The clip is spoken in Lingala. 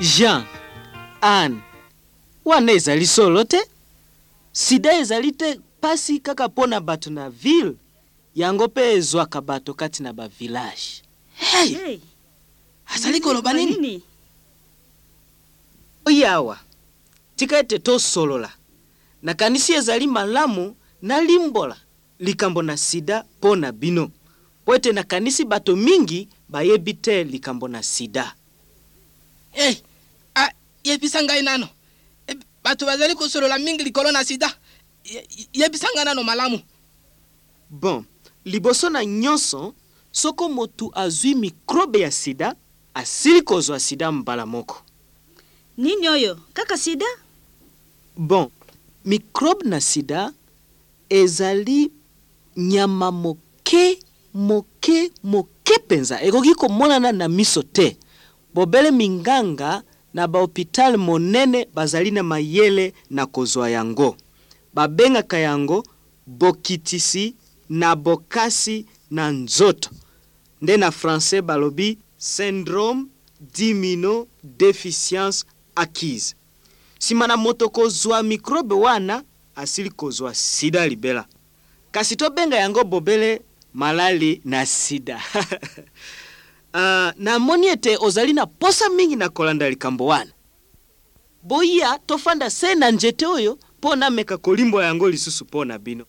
Jean, Anne, wana ezali solo te. Sida ezali te pasi kaka mpo na bato na ville, yango mpe ezwaka bato kati na ba village. Hey! Hey, Azali koloba nini? Oyo awa, tika ete tosolola. Nakanisi ezali malamu nalimbola likambo na sida mpo na bino, mpo ete nakanisi bato mingi bayebi te likambo na sida. Hey, ah, yebisa ngai nano. Eh, bato bazali kosolola mingi likolo na sida. Yebisa ngai nano malamu. Bon, liboso na nyonso, soko moto azwi mikrobe ya sida, asili kozwa sida mbala moko. Nini oyo? Kaka sida? Bon, mikrobe na sida ezali nyama moke moke moke mpenza, ekoki komonana na miso te. Bobele minganga na bahopitale monene bazali na mayele na kozwa yango. Babengaka yango bokitisi na bokasi na nzoto. Nde na français balobi syndrome d'immunodéficience acquise. Nsima na moto kozwa mikrobe wana, asili kozwa sida libela. Kasi tobenga yango bobele malali na sida. Namoni ete ozali na posa mingi na kolanda likambo wana. Boya tofanda se na nzete oyo mpo nameka kolimbola yango lisusu mpo na bino.